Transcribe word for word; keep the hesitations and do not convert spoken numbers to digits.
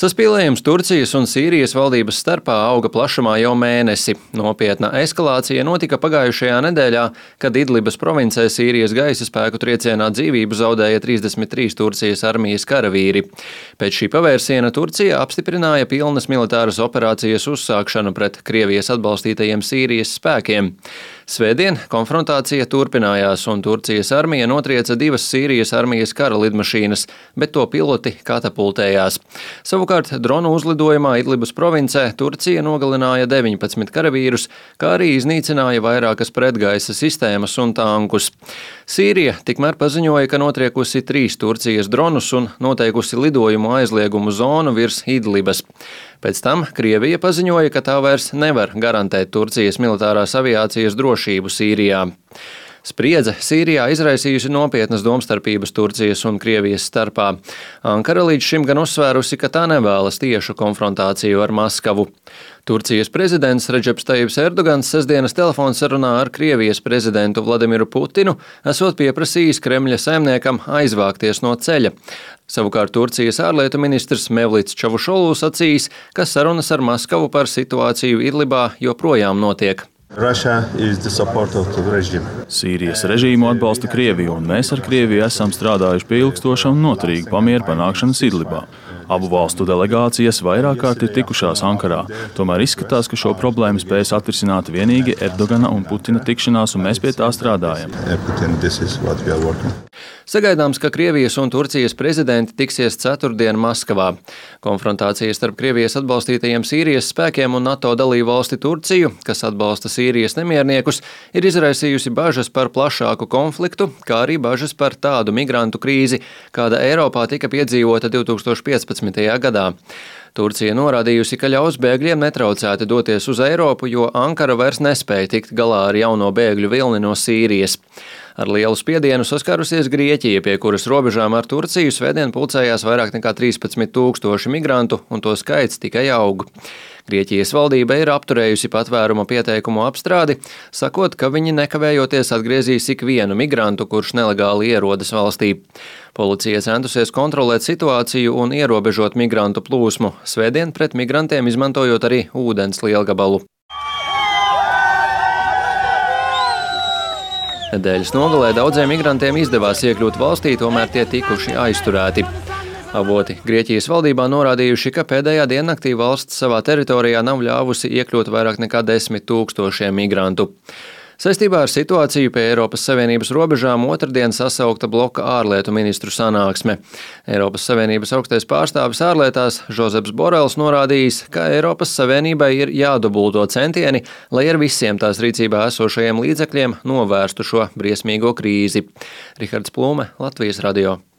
Saspīlējums Turcijas un Sīrijas valdības starpā auga plašumā jau mēnesi. Nopietna eskalācija notika pagājušajā nedēļā, kad Idlibas provincē Sīrijas gaisa spēku triecienā dzīvību zaudēja trīsdesmit trīs Turcijas armijas karavīri. Pēc šī pavērsiena Turcija apstiprināja pilnas militāras operācijas uzsākšanu pret Krievijas atbalstītajiem Sīrijas spēkiem. Svētdien konfrontācija turpinājās, un Turcijas armija notrieca divas Sīrijas armijas kara lidmašīnas, bet to piloti katapultējās. Savukārt dronu uzlidojumā Idlibas provincē Turcija nogalināja deviņpadsmit karavīrus, kā arī iznīcināja vairākas pretgaisa sistēmas un tankus. Sīrija tikmēr paziņoja, ka notriekusi trīs Turcijas dronus un noteikusi lidojumu aizliegumu zonu virs Idlibas. Pēc tam Krievija paziņoja, ka tā vairs nevar garantēt Turcijas militārās aviācijas drošību Sīrijā. Spriedze Sīrijā izraisījusi nopietnas domstarpības Turcijas un Krievijas starpā. Ankara līdz šim gan uzsvērusi, ka tā nevēlas tiešu konfrontāciju ar Maskavu. Turcijas prezidents Redžeps Tajibs Erdogans sestdienas telefonsarunā ar Krievijas prezidentu Vladimiru Putinu esot pieprasījis Kremļa saimniekam aizvākties no ceļa. Savukārt Turcijas ārlietu ministrs Mevlits Čavušolu sacījis, ka sarunas ar Maskavu par situāciju Idlibā joprojām notiek. Sīrijas režīmu atbalsta Krievija, un mēs ar Krieviju esam strādājuši pie ilgstoša un noturīga pamiera panākšanas Idlibā. Abu valstu delegācijas vairāk kārt ir tikušās Ankarā. Tomēr izskatās, ka šo problēmu spējas atrisināt vienīgi Erdogana un Putina tikšanās, un mēs pie tā strādājam. Sagaidāms, ka Krievijas un Turcijas prezidenti tiksies ceturtdien Maskavā. Konfrontācija starp Krievijas atbalstītajiem Sīrijas spēkiem un NATO dalību valsti Turciju, kas atbalsta Sīrijas nemierniekus, ir izraisījusi bažas par plašāku konfliktu, kā arī bažas par tādu migrantu krīzi, kāda Eiropā tika piedzīvota divtūkstoš piecpadsmitajā gadā. Turcija norādījusi, ka ļaus bēgļiem netraucēti doties uz Eiropu, jo Ankara vairs nespēja tikt galā ar jauno bēgļu vilni no Sīrijas. Ar lielu spiedienu saskārusies Grieķija, pie kuras robežām ar Turciju svētdien pulcējās vairāk nekā trīspadsmit tūkstoši migrantu, un to skaits tikai aug. Grieķijas valdība ir apturējusi patvēruma pieteikumu apstrādi, sakot, ka viņi nekavējoties atgriezīs ikvienu migrantu, kurš nelegāli ierodas valstī. Policija centusies kontrolēt situāciju un ierobežot migrantu plūsmu, svētdien pret migrantiem izmantojot arī ūdens lielgabalu. Nedēļas nogalē daudziem migrantiem izdevās iekļūt valstī, tomēr tie tikuši aizturēti. Avoti Grieķijas valdībā norādījuši, ka pēdējā diennaktī valsts savā teritorijā nav ļāvusi iekļūt vairāk nekā desmit tūkstošiem migrantu. Saistībā ar situāciju pie Eiropas Savienības robežām otrdien sasaukta bloka ārlietu ministru sanāksme. Eiropas Savienības augstais pārstāvis ārlietās Žozeps Borels norādījis, ka Eiropas Savienībai ir jādubulto centieni, lai ar visiem tās rīcībā esošajiem līdzekļiem novērstu šo briesmīgo krīzi. Rihards Plūme, Latvijas radio.